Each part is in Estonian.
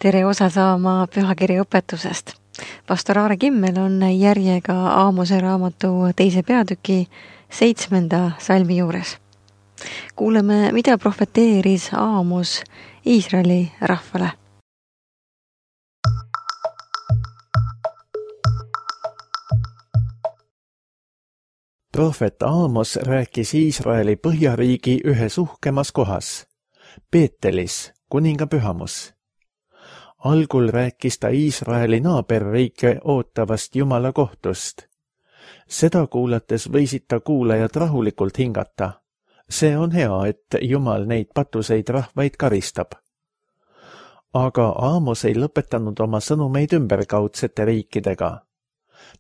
Tere osa saama pühakirja õpetusest. Pastor Aare Kimmel on järjega Aamose raamatu 2. peatüki 7. salmi juures. Kuuleme, mida profeteeris Aamos Iisraeli rahvale. Prohvet Aamos rääkis Iisraeli põhjariigi ühes uhkemas kohas, Beetelis, kuninga pühamus. Algul rääkis ta Iisraeli naaberriike ootavast Jumala kohtust. Seda kuulates võisid ta kuulajad rahulikult hingata. See on hea, et Jumal neid patuseid rahvaid karistab. Aga Aamos ei lõpetanud oma sõnumeid ümberkaudsete riikidega.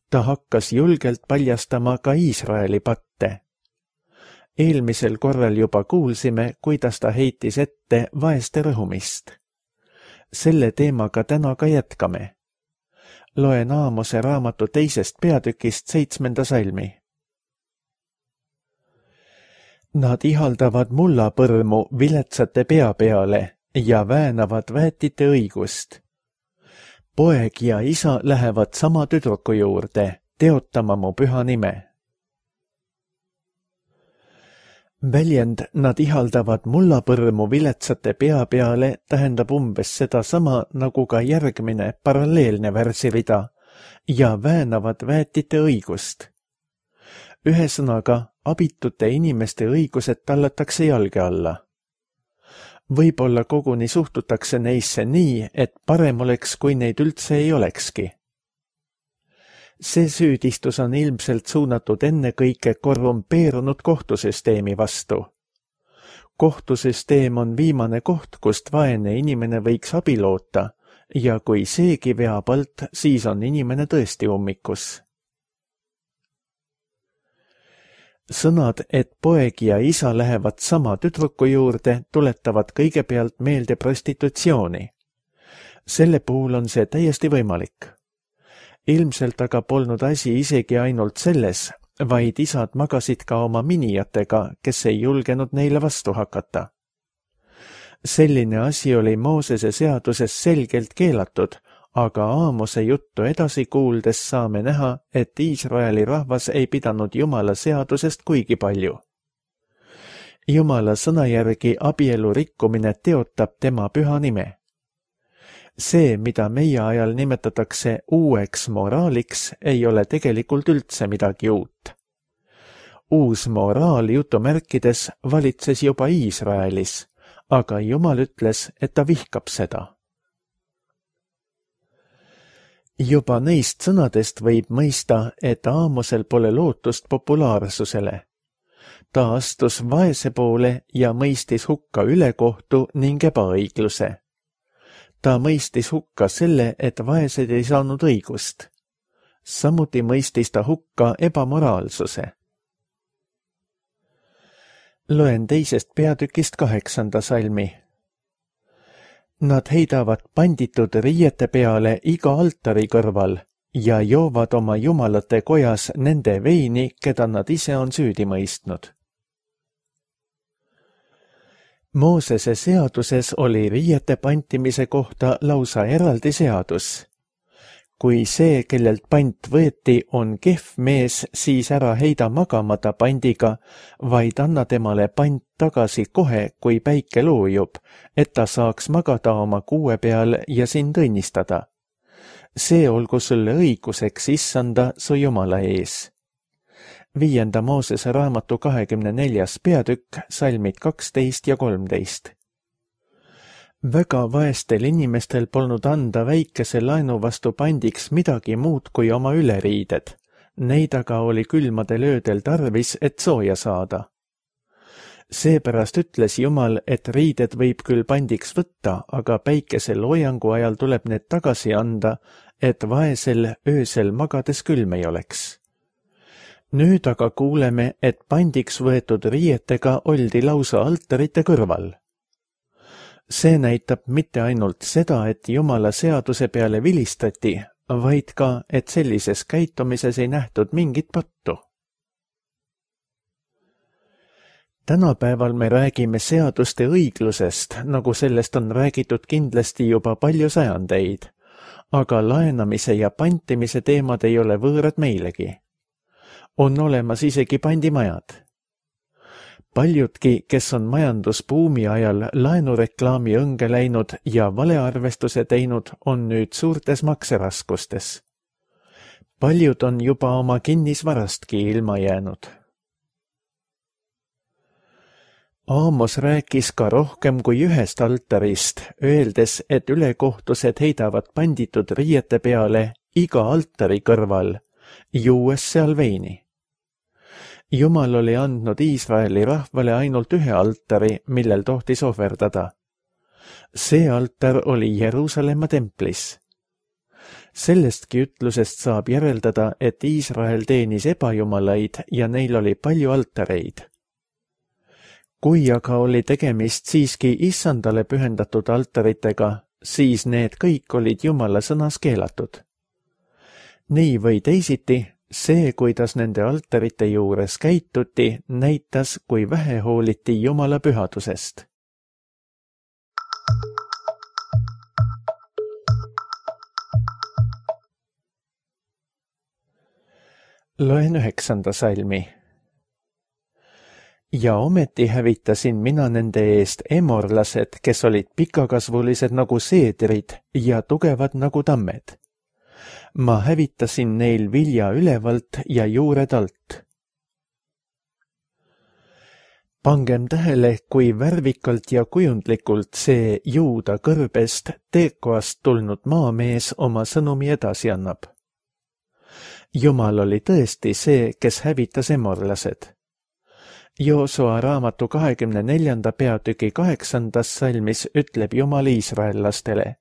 Ta hakkas julgelt paljastama ka Iisraeli patte. Eelmisel korral juba kuulsime, kuidas ta heitis ette vaeste rõhumist. Selle teemaga täna ka jätkame. Loen Aamose raamatu 2. peatükist 7. salmi. Nad ihaldavad mullapõrmu viletsate pea peale ja väänavad väetite õigust. Poeg ja isa lähevad sama tüdruku juurde, teotama mu püha nime. Väljend nad ihaldavad mullapõrmu viletsate pea peale tähendab umbes sedasama nagu ka järgmine paralleelne värsirida ja väänavad väetite õigust. Ühesõnaga, abitute inimeste õigused tallatakse jalge alla. Võib-olla koguni suhtutakse neisse nii, et parem oleks, kui neid üldse ei olekski. See süüdistus on ilmselt suunatud ennekõike korrumpeerunud kohtusüsteemi vastu. Kohtusüsteem on viimane koht, kust vaene inimene võiks abi loota ja kui seegi veab alt, siis on inimene tõesti ummikus. Sõnad, et poeg ja isa lähevad sama tüdruku juurde, tuletavad kõigepealt meelde prostitutsiooni. Selle puhul on see täiesti võimalik. Ilmselt aga polnud asi isegi ainult selles, vaid isad magasid ka oma minijatega, kes ei julgenud neile vastu hakata. Selline asi oli Moosese seaduses selgelt keelatud, aga Aamose juttu edasi kuuldes saame näha, et Iisraeli rahvas ei pidanud Jumala seadusest kuigi palju. Jumala sõna järgi abielu rikkumine teotab tema püha nime. See, mida meie ajal nimetatakse uueks moraaliks, ei ole tegelikult üldse midagi uut. Uus moraal jutumärkides valitses juba Iisraelis, aga Jumal ütles, et ta vihkab seda. Juba neist sõnadest võib mõista, et Aamosel pole lootust populaarsusele. Ta astus vaese poole ja mõistis hukka ülekohtu ning ebaõigluse. Ta mõistis hukka selle, et vaesed ei saanud õigust. Samuti mõistis ta hukka ebamoraalsuse. Loen 2. peatükist 8. salmi. Nad heidavad panditud riiete peale iga altari kõrval ja joovad oma jumalate kojas nende veini, keda nad ise on süüdi mõistnud. Moosese seaduses oli riiete pantimise kohta lausa eraldi seadus. Kui see, kellelt pant võeti, on kehv mees, siis ära heida magamata pandiga, vaid anna temale pant tagasi kohe, kui päike loojub, et ta saaks magada oma kuue peal ja sind õnnistada. See olgu sulle õiguseks issanda su Jumala ees. 5. Moosese raamatu 24. peatükk, salmid 12 ja 13. Väga vaestel inimestel polnud anda väikese laenu vastu pandiks midagi muud kui oma üleriided. Neid aga oli külmadel öödel tarvis, et sooja saada. Seepärast ütles Jumal, et riided võib küll pandiks võtta, aga päikese loojangu ajal tuleb need tagasi anda, et vaesel öösel magades külm ei oleks. Nüüd aga kuuleme, et pandiks võetud riietega oldi lausa altarite kõrval. See näitab mitte ainult seda, et Jumala seaduse peale vilistati, vaid ka, et sellises käitumises ei nähtud mingit pattu. Tänapäeval me räägime seaduste õiglusest, nagu sellest on räägitud kindlasti juba palju sajandeid, aga laenamise ja pantimise teemad ei ole võõrad meilegi. On olemas isegi pandimajad. Paljudki, kes on majandusbuumi ajal laenureklaami õnge läinud ja valearvestuse teinud, on nüüd suurtes makseraskustes. Paljud on juba oma kinnisvarastki ilma jäänud. Aamos rääkis ka rohkem kui ühest altarist, öeldes, et ülekohtused heidavad panditud riiete peale iga altari kõrval, juues seal veini. Jumal oli andnud Iisraeli rahvale ainult ühe altari, millel tohtis ohverdada. See altar oli Jeruusalemma templis. Sellestki ütlusest saab järeldada, et Iisrael teenis ebajumalaid ja neil oli palju altareid. Kui aga oli tegemist siiski issandale pühendatud altaritega, siis need kõik olid Jumala sõnas keelatud. Nii või teisiti, see, kuidas nende altarite juures käituti, näitas, kui vähe hooliti Jumala pühadusest. Loen 9. salmi. Ja ometi hävitasin mina nende eest emorlased, kes olid pikakasvulised nagu seedrid ja tugevad nagu tammed. Ma hävitasin neil vilja ülevalt ja juured alt. Pangem tähele, kui värvikalt ja kujundlikult see Juuda kõrbest Tekoast tulnud maamees oma sõnumi edasi annab. Jumal oli tõesti see, kes hävitas emorlased. Joosua raamatu 24. peatüki 8. salmis ütleb Jumal iisraellastele.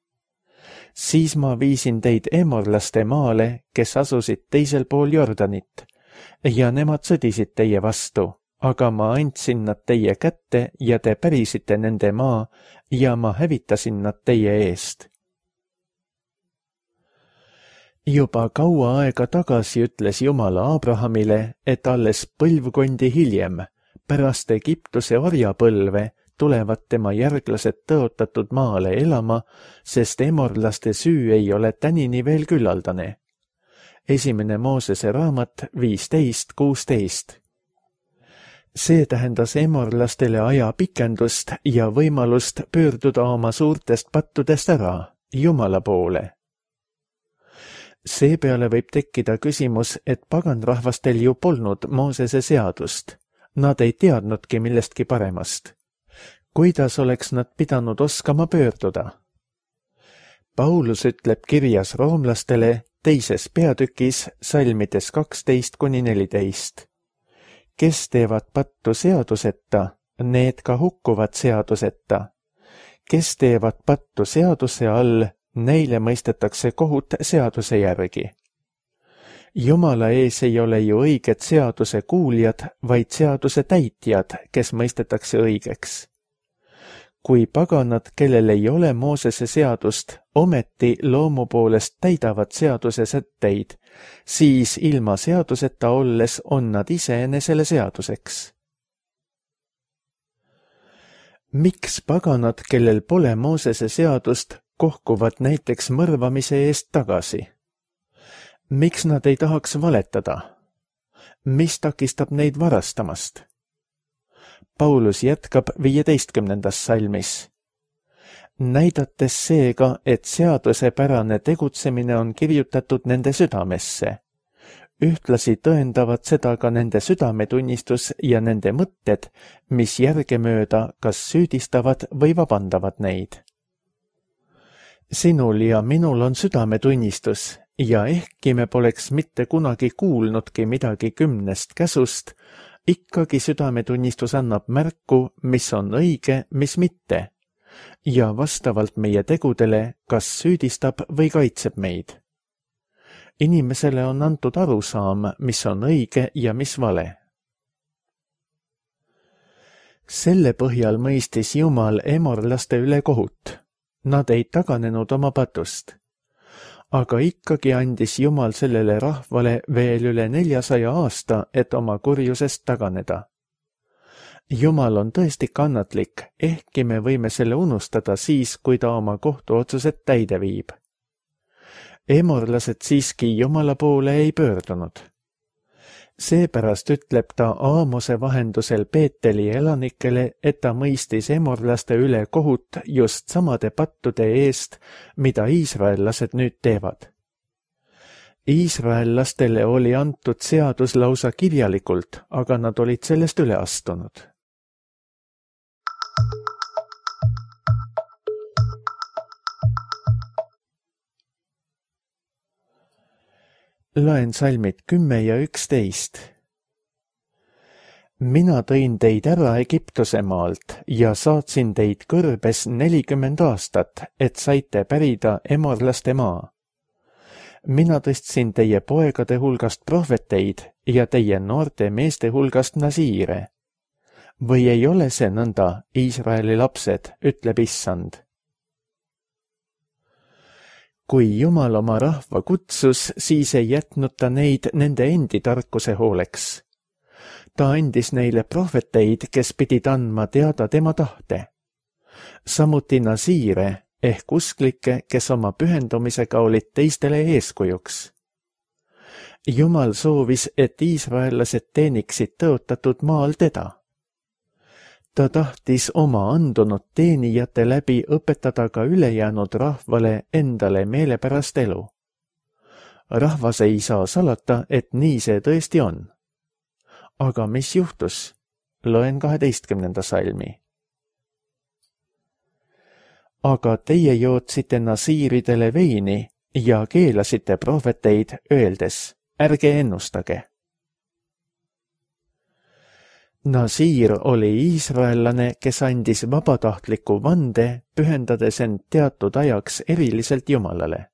Siis ma viisin teid emorlaste maale, kes asusid teisel pool Jordanit, ja nemad sõdisid teie vastu, aga ma andsin nad teie kätte ja te pärisite nende maa ja ma hävitasin nad teie eest. Juba kaua aega tagasi ütles Jumal Abrahamile, et alles põlvkondi hiljem, pärast Egiptuse orjapõlve, tulevad tema järglased tõotatud maale elama, sest emorlaste süü ei ole tänini veel küllaldane. 1. Moosese raamat 15:16. See tähendas emorlastele aja pikendust ja võimalust pöörduda oma suurtest pattudest ära, Jumala poole. Seepeale võib tekkida küsimus, et paganrahvastel ju polnud Moosese seadust. Nad ei teadnudki millestki paremast. Kuidas oleks nad pidanud oskama pöörduda? Paulus ütleb kirjas roomlastele 2. peatükis salmides 12-14. Kes teevad pattu seaduseta, need ka hukkuvad seaduseta. Kes teevad pattu seaduse all, neile mõistetakse kohut seaduse järgi. Jumala ees ei ole ju õiged seaduse kuuljad, vaid seaduse täitjad, kes mõistetakse õigeks. Kui paganad, kellel ei ole Moosese seadust, ometi loomu poolest täidavad seaduse sätteid, siis ilma seaduseta olles on nad iseenesele seaduseks. Miks paganad, kellel pole Moosese seadust, kohkuvad näiteks mõrvamise eest tagasi? Miks nad ei tahaks valetada? Mis takistab neid varastamast? Paulus jätkab 15. salmis. Näidates seega, et seadusepärane tegutsemine on kirjutatud nende südamesse. Ühtlasi tõendavad seda ka nende südametunnistus ja nende mõtted, mis järgemööda kas süüdistavad või vabandavad neid. Sinul ja minul on südametunnistus ja ehkki me poleks mitte kunagi kuulnudki midagi 10 käsust, ikkagi südametunnistus annab märku, mis on õige, mis mitte, ja vastavalt meie tegudele kas süüdistab või kaitseb meid. Inimesele on antud arusaam, mis on õige ja mis vale. Selle põhjal mõistis Jumal emorlaste üle kohut. Nad ei taganenud oma patust. Aga ikkagi andis Jumal sellele rahvale veel üle 400 aasta, et oma kurjusest taganeda. Jumal on tõesti kannatlik, ehkki me võime selle unustada siis, kui ta oma kohtuotsused täide viib. Emorlased siiski Jumala poole ei pöördunud. Seepärast ütleb ta Aamose vahendusel Beeteli elanikele, et ta mõistis emorlaste üle kohut just samade pattude eest, mida iisraellased nüüd teevad. Iisraellastele oli antud seadus lausa kirjalikult, aga nad olid sellest üle astunud. Loen salmid 10 ja 11. Mina tõin teid ära Egiptuse maalt ja saatsin teid kõrbes 40 aastat, et saite pärida emorlaste maa. Mina tõstsin teie poegade hulgast prohveteid ja teie noorte meeste hulgast nasiire. Või ei ole see nõnda, Iisraeli lapsed, ütleb Issand. Kui Jumal oma rahva kutsus, siis ei jätnud ta neid nende endi tarkuse hooleks. Ta andis neile prohveteid, kes pidid andma teada tema tahte. Samuti nasiire ehk usklikke, kes oma pühendumisega olid teistele eeskujuks. Jumal soovis, et iisraellased teeniksid tõotatud maal teda. Ta tahtis oma andunud teenijate läbi õpetada ka ülejäänud rahvale endale meelepärast elu. Rahvas ei saa salata, et nii see tõesti on. Aga mis juhtus? Loen 12. salmi. Aga teie jootsite nasiiridele veini ja keelasite prohveteid, öeldes, ärge ennustage. Nasiir oli iisraellane, kes andis vabatahtliku vande, pühendades end teatud ajaks eriliselt Jumalale.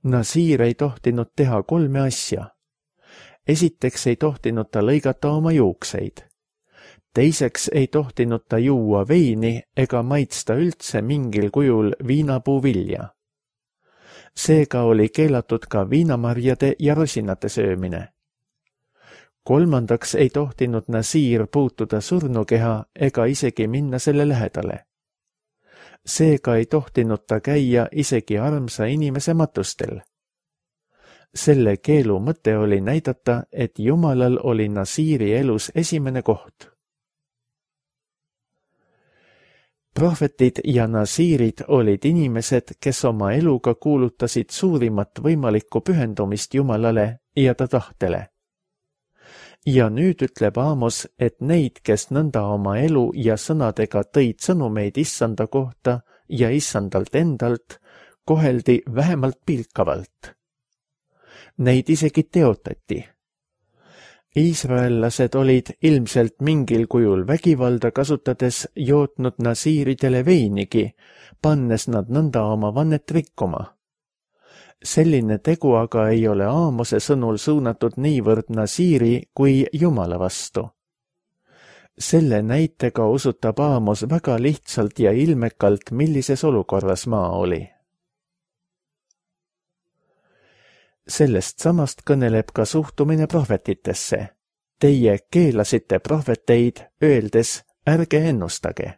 Nasiir ei tohtinud teha 3 asja. Esiteks ei tohtinud ta lõigata oma juukseid. Teiseks ei tohtinud ta juua veini ega maitsta üldse mingil kujul viinapuu vilja. Seega oli keelatud ka viinamarjade ja rosinate söömine. Kolmandaks ei tohtinud nasiir puutuda surnukeha ega isegi minna selle lähedale. Seega ei tohtinud ta käia isegi armsa inimese matustel. Selle keelu mõte oli näidata, et Jumalal oli nasiiri elus esimene koht. Prohvetid ja nasiirid olid inimesed, kes oma eluga kuulutasid suurimat võimalikku pühendumist Jumalale ja ta tahtele. Ja nüüd ütleb Aamos, et neid, kes nõnda oma elu ja sõnadega tõid sõnumeid Issanda kohta ja Issandalt endalt, koheldi vähemalt pilkavalt. Neid isegi teotati. Iisraellased olid ilmselt mingil kujul vägivalda kasutades jootnud nasiiridele veinigi, pannes nad nõnda oma vannet rikkuma. Selline tegu aga ei ole Aamose sõnul suunatud niivõrd nasiiri kui Jumala vastu. Selle näitega osutab Aamos väga lihtsalt ja ilmekalt, millises olukorras maa oli. Sellest samast kõneleb ka suhtumine prohvetitesse. Teie keelasite prohveteid, öeldes, ärge ennustage.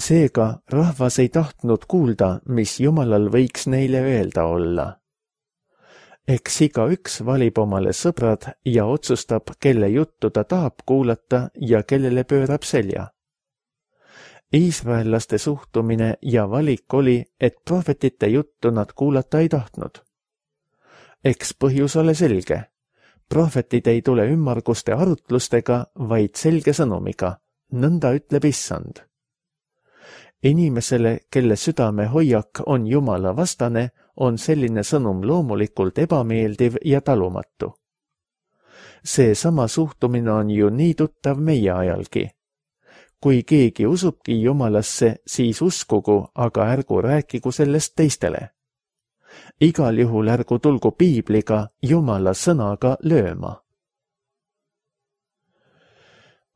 Seega rahvas ei tahtnud kuulda, mis Jumalal võiks neile öelda olla. Eks igaüks valib omale sõbrad ja otsustab, kelle juttu ta tahab kuulata ja kellele pöörab selja. Iisraellaste suhtumine ja valik oli, et prohvetite juttu nad kuulata ei tahtnud. Eks põhjus ole selge. Prohvetid ei tule ümmarguste arutlustega, vaid selge sõnumiga. Nõnda ütleb Issand. Inimesele, kelle südame hoiak on Jumala vastane, on selline sõnum loomulikult ebameeldiv ja talumatu. See sama suhtumine on ju nii tuttav meie ajalgi. Kui keegi usubki Jumalasse, siis uskugu, aga ärgu rääkigu sellest teistele. Igal juhul ärgu tulgu piibliga, Jumala sõnaga lööma.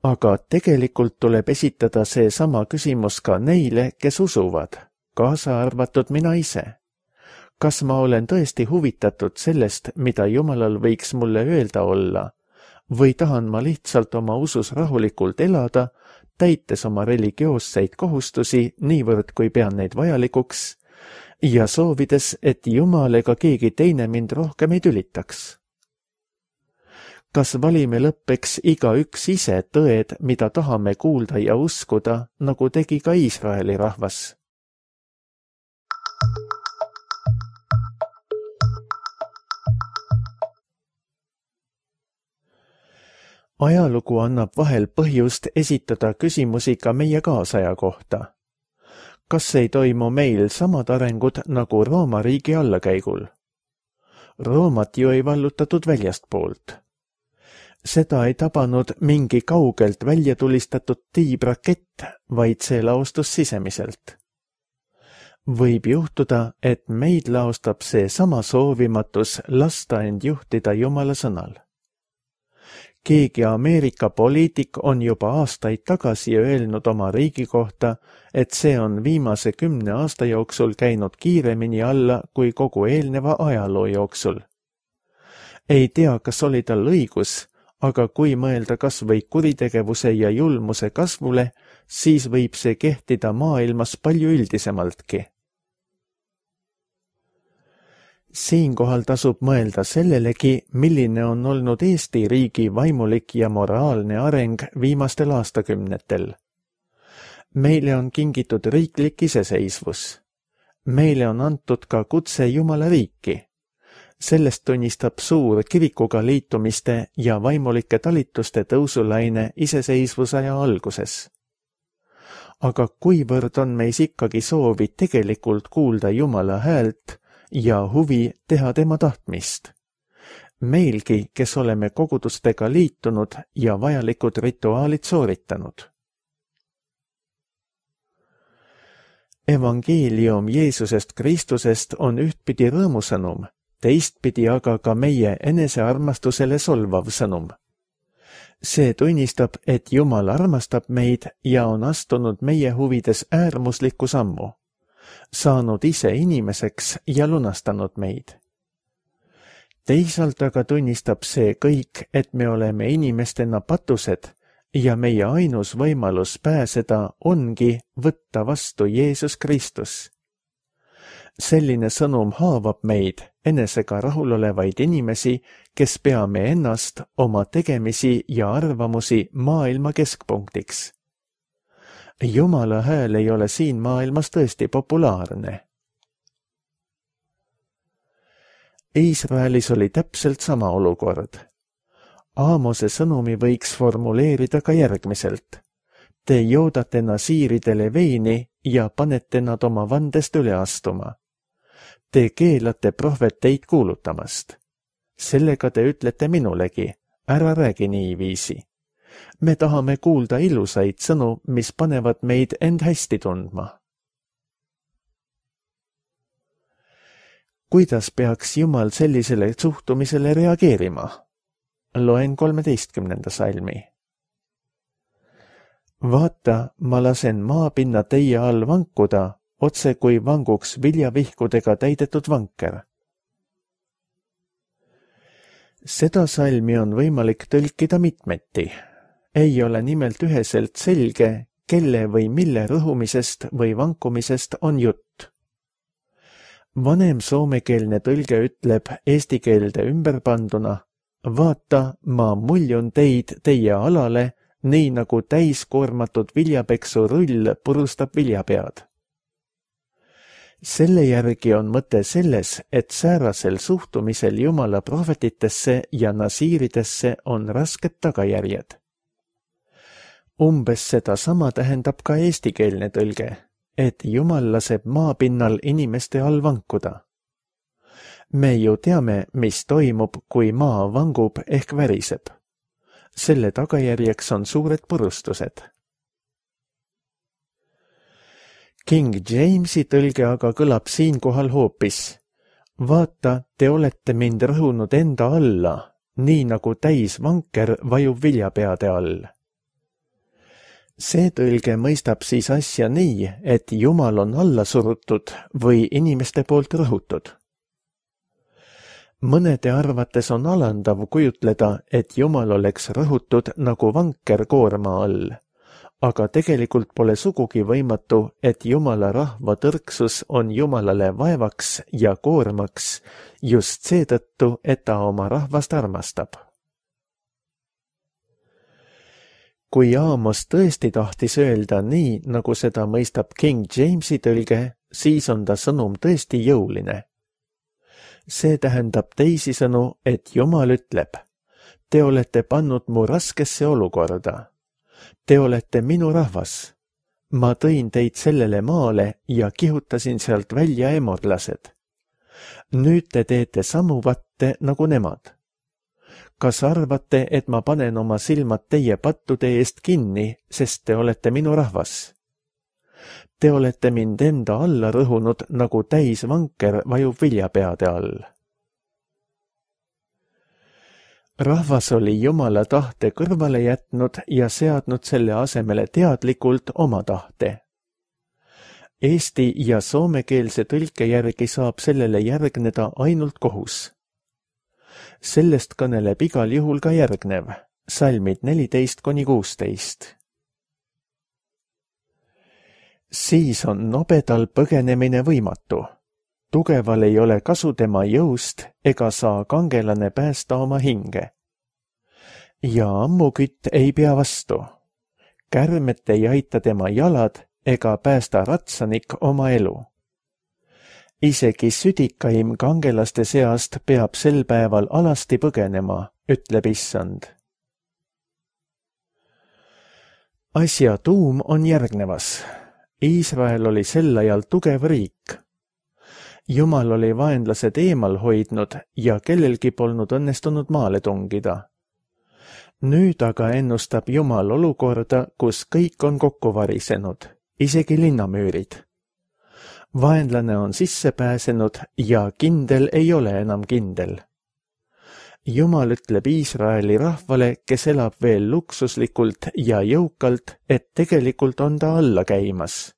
Aga tegelikult tuleb esitada see sama küsimus ka neile, kes usuvad, kaasa arvatud mina ise. Kas ma olen tõesti huvitatud sellest, mida Jumalal võiks mulle öelda olla, või tahan ma lihtsalt oma usus rahulikult elada, täites oma religioosseid kohustusi niivõrd, kui pean neid vajalikuks, ja soovides, et Jumal ega keegi teine mind rohkem ei tülitaks. Kas valime lõppeks igaüks ise tõed, mida tahame kuulda ja uskuda, nagu tegi ka Iisraeli rahvas? Ajalugu annab vahel põhjust esitada küsimusi ka meie kaasaja kohta. Kas ei toimu meil samad arengud nagu Rooma riigi allakäigul? Roomat ju ei vallutatud väljastpoolt. Seda ei tabanud mingi kaugelt välja tulistatud tiibrakett, vaid see laostus sisemiselt. Võib juhtuda, et meid laostab see sama soovimatus lasta end juhtida Jumala sõnal. Keegi Ameerika poliitik on juba aastaid tagasi öelnud oma riigi kohta, et see on viimase 10 aasta jooksul käinud kiiremini alla kui kogu eelneva ajaloo jooksul. Ei tea, kas oli tal õigus, aga kui mõelda kas või kuritegevuse ja julmuse kasvule, siis võib see kehtida maailmas palju üldisemaltki. Siinkohal tasub mõelda sellelegi, milline on olnud Eesti riigi vaimulik ja moraalne areng viimastel aastakümnetel. Meile on kingitud riiklik iseseisvus. Meile on antud ka kutse Jumala riiki. Sellest tunnistab suur kirikuga liitumiste ja vaimulike talituste tõusulaine iseseisvusaja alguses. Aga kuivõrd on meis ikkagi soovi tegelikult kuulda Jumala häält ja huvi teha tema tahtmist? Meilgi, kes oleme kogudustega liitunud ja vajalikud rituaalid sooritanud. Evangeelium Jeesusest Kristusest on ühtpidi rõõmusõnum, teistpidi aga ka meie enesearmastusele solvav sõnum. See tunnistab, et Jumal armastab meid ja on astunud meie huvides äärmuslikku sammu, saanud ise inimeseks ja lunastanud meid. Teisalt aga tunnistab see kõik, et me oleme inimestena patused ja meie ainus võimalus pääseda ongi võtta vastu Jeesus Kristus. Selline sõnum haavab meid, enesega rahulolevaid inimesi, kes peame ennast, oma tegemisi ja arvamusi maailma keskpunktiks. Jumala hääl ei ole siin maailmas tõesti populaarne. Iisraelis oli täpselt sama olukord. Aamose sõnumi võiks formuleerida ka järgmiselt. Te joodate nasiiridele veini ja panete nad oma vandest üle astuma. Te keelate prohveteid kuulutamast. Sellega te ütlete minulegi, ära räägi niiviisi. Me tahame kuulda ilusaid sõnu, mis panevad meid end hästi tundma. Kuidas peaks Jumal sellisele suhtumisele reageerima? Loen 13. salmi. Vaata, ma lasen maapinna teie all vankuda, otse kui vanguks viljavihkudega täidetud vanker. Seda salmi on võimalik tõlkida mitmeti. Ei ole nimelt üheselt selge, kelle või mille rõhumisest või vankumisest on jutt. Vanem soomekeelne tõlge ütleb eesti keelde ümberpanduna, vaata, ma muljun teid teie alale, nii nagu täiskoormatud viljapeksu rull purustab viljapead. Selle järgi on mõte selles, et säärasel suhtumisel Jumala prohvetitesse ja nasiiridesse on rasked tagajärjed. Umbes seda sama tähendab ka eestikeelne tõlge, et Jumal laseb maapinnal inimeste all vankuda. Me ju teame, mis toimub, kui maa vangub ehk väriseb. Selle tagajärjeks on suured purustused. King Jamesi tõlge aga kõlab siinkohal hoopis. Vaata, te olete mind rõhunud enda alla, nii nagu täisvanker vajub viljapeade all. See tõlge mõistab siis asja nii, et Jumal on alla surutud või inimeste poolt rõhutud. Mõnede arvates on alandav kujutleda, et Jumal oleks rõhutud nagu vanker koorma all, aga tegelikult pole sugugi võimatu, et Jumala rahva tõrksus on Jumalale vaevaks ja koormaks just seetõttu, et ta oma rahvast armastab. Kui Aamos tõesti tahtis öelda nii, nagu seda mõistab King Jamesi tõlge, siis on ta sõnum tõesti jõuline. See tähendab teisisõnu, et Jumal ütleb, te olete pannud mu raskesse olukorda. Te olete minu rahvas. Ma tõin teid sellele maale ja kihutasin sealt välja emorlased. Nüüd te teete samu vatte nagu nemad. Kas arvate, et ma panen oma silmad teie pattude eest kinni, sest te olete minu rahvas? Te olete mind enda alla rõhunud, nagu täisvanker vajub viljapeade all. Rahvas oli Jumala tahte kõrvale jätnud ja seadnud selle asemele teadlikult oma tahte. Eesti ja soomekeelse tõlke järgi saab sellele järgneda ainult kohus. Sellest kõneleb igal juhul ka järgnev, salmid 14–16. Siis on nobedal põgenemine võimatu. Tugeval ei ole kasu tema jõust ega saa kangelane päästa oma hinge. Ja ammukütt ei pea vastu. Kärmet ei aita tema jalad ega päästa ratsanik oma elu. Isegi südikaim kangelaste seast peab sel päeval alasti põgenema, ütleb Issand. Asja tuum on järgnevas. Iisrael oli sel ajal tugev riik. Jumal oli vaenlased eemal hoidnud ja kellelgi polnud õnnestunud maale tungida. Nüüd aga ennustab Jumal olukorda, kus kõik on kokku varisenud, isegi linnamüürid. Vaenlane on sisse pääsenud ja kindel ei ole enam kindel. Jumal ütleb Iisraeli rahvale, kes elab veel luksuslikult ja jõukalt, et tegelikult on ta alla käimas.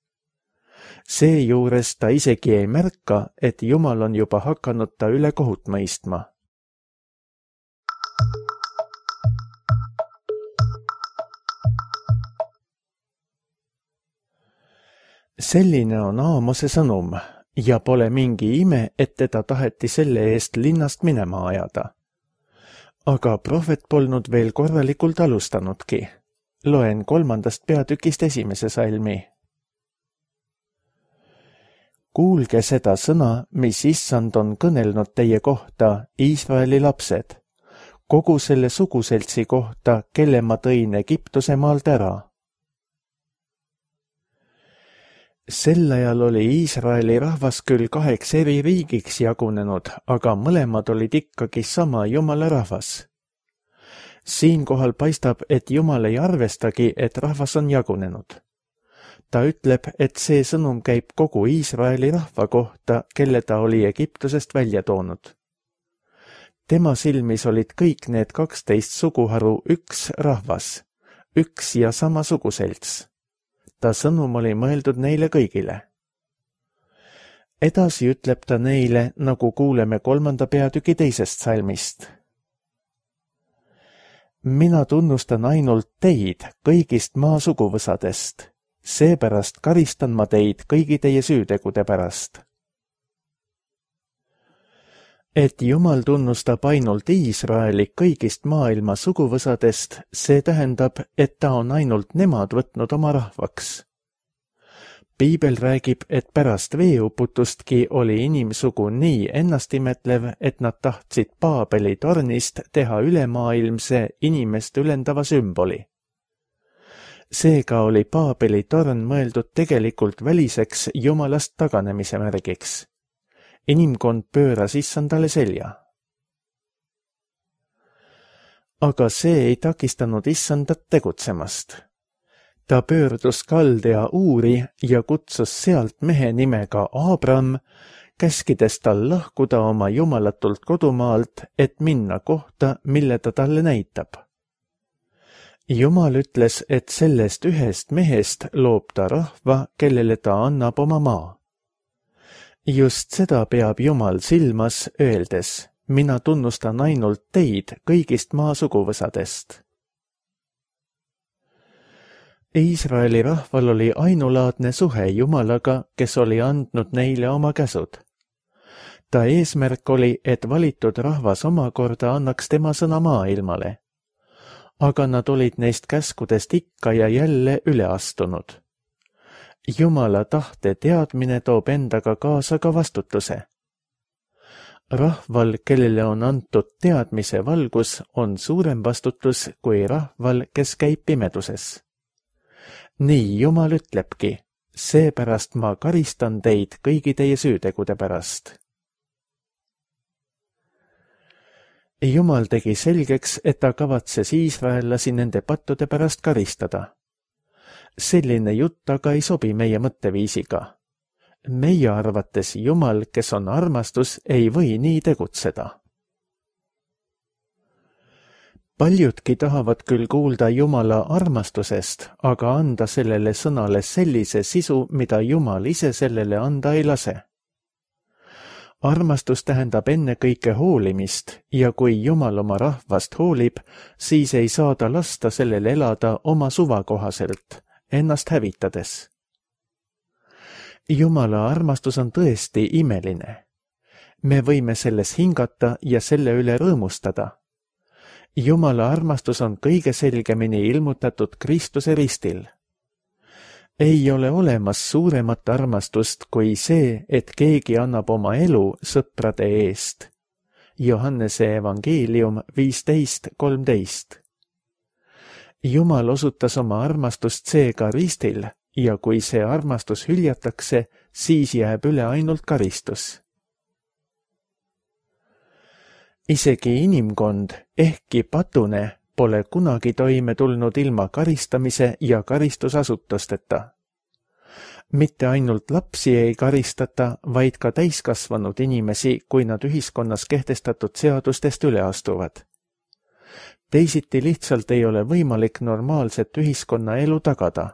Seejuures ta isegi ei märka, et Jumal on juba hakanud ta üle kohut mõistma. Selline on Aamose sõnum ja pole mingi ime, et teda taheti selle eest linnast minema ajada. Aga prohvet polnud veel korralikult alustanudki. Loen 3. peatükist 1. salmi. Kuulge seda sõna, mis Issand on kõnelnud teie kohta, Iisraeli lapsed, kogu selle suguseltsi kohta, kelle ma tõin Egiptuse maalt ära. Sel ajal oli Iisraeli rahvas küll 2 eri riigiks jagunenud, aga mõlemad olid ikkagi sama Jumala rahvas. Siinkohal paistab, et Jumal ei arvestagi, et rahvas on jagunenud. Ta ütleb, et see sõnum käib kogu Iisraeli rahva kohta, kelle ta oli Egiptusest välja toonud. Tema silmis olid kõik need 12 suguharu üks rahvas, üks ja sama suguselts. Ta sõnum oli mõeldud neile kõigile. Edasi ütleb ta neile, nagu kuuleme 3. peatüki 2. salmist. Mina tunnustan ainult teid kõigist maa suguvõsadest, seepärast karistan ma teid kõigi teie süütegude pärast. Et Jumal tunnustab ainult Iisraeli kõigist maailma suguvõsadest, see tähendab, et ta on ainult nemad võtnud oma rahvaks. Piibel räägib, et pärast veeuputustki oli inimsugu nii ennastimetlev, et nad tahtsid Paabeli tornist teha ülemaailmse inimest ülendava sümboli. Seega oli Paabeli torn mõeldud tegelikult väliseks Jumalast taganemise märgiks. Inimkond pööras Issandale selja. Aga see ei takistanud Issandat tegutsemast. Ta pöördus Kaldea Uuri ja kutsus sealt mehe nimega Abram, käskides tal lahkuda oma jumalatult kodumaalt, et minna kohta, mille ta talle näitab. Jumal ütles, et sellest ühest mehest loob ta rahva, kellele ta annab oma maa. Just seda peab Jumal silmas, öeldes, mina tunnustan ainult teid kõigist maa suguvõsadest. Iisraeli rahval oli ainulaadne suhe Jumalaga, kes oli andnud neile oma käsud. Ta eesmärk oli, et valitud rahvas omakorda annaks tema sõna maailmale. Aga nad olid neist käskudest ikka ja jälle üle astunud. Jumala tahte teadmine toob endaga kaasa ka vastutuse. Rahval, kellele on antud teadmise valgus, on suurem vastutus kui rahval, kes käib pimeduses. Nii Jumal ütlebki, seepärast ma karistan teid kõigi teie süütegude pärast. Jumal tegi selgeks, et ta kavatses iisraellasi nende pattude pärast karistada. Selline jutt aga ei sobi meie mõtteviisiga. Meie arvates Jumal, kes on armastus, ei või nii tegutseda. Paljudki tahavad küll kuulda Jumala armastusest, aga anda sellele sõnale sellise sisu, mida Jumal ise sellele anda ei lase. Armastus tähendab ennekõike hoolimist ja kui Jumal oma rahvast hoolib, siis ei saa ta lasta sellel elada oma suva kohaselt, ennast hävitades. Jumala armastus on tõesti imeline. Me võime selles hingata ja selle üle rõõmustada. Jumala armastus on kõige selgemini ilmutatud Kristuse ristil. Ei ole olemas suuremat armastust kui see, et keegi annab oma elu sõprade eest. Johannese evangeelium 15:13. Jumal osutas oma armastust seega ristil ja kui see armastus hüljatakse, siis jääb üle ainult karistus. Isegi inimkond, ehkki patune, pole kunagi toime tulnud ilma karistamise ja karistusasutusteta. Mitte ainult lapsi ei karistata, vaid ka täiskasvanud inimesi, kui nad ühiskonnas kehtestatud seadustest üle astuvad. Teisiti lihtsalt ei ole võimalik normaalset ühiskonnaelu tagada.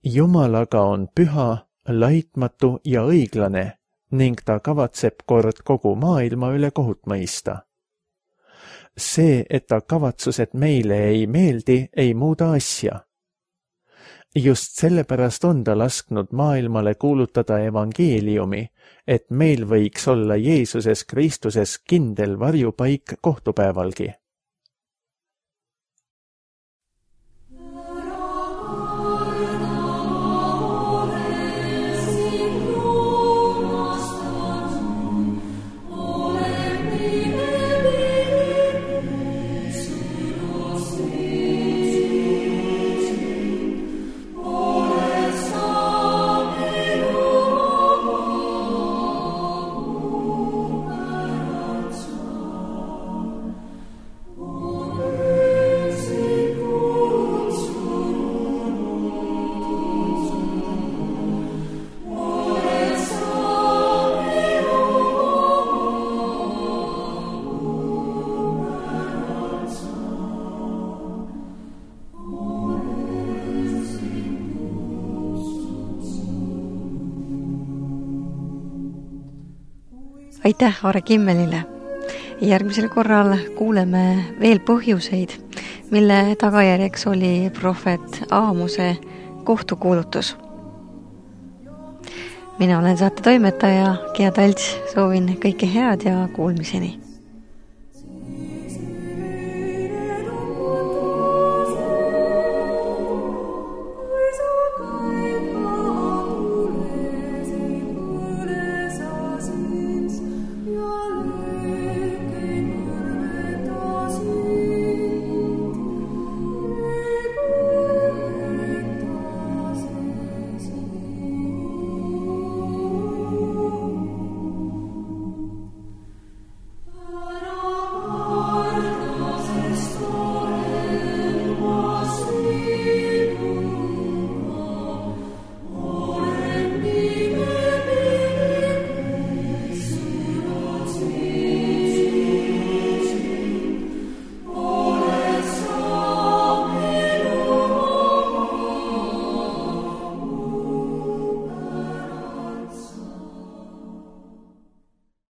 Jumal aga on püha, laitmatu ja õiglane ning ta kavatseb kord kogu maailma üle kohut mõista. See, et ta kavatsused meile ei meeldi, ei muuda asja. Just sellepärast on ta lasknud maailmale kuulutada evangeeliumi, et meil võiks olla Jeesuses Kristuses kindel varjupaik kohtupäevalgi. Aitäh Aare Kimmelile. Järgmisel korral kuuleme veel põhjuseid, mille tagajärjeks oli prohvet Aamose kohtukuulutus. Mina olen saate toimetaja Gea Talts, soovin kõike head ja kuulmiseni.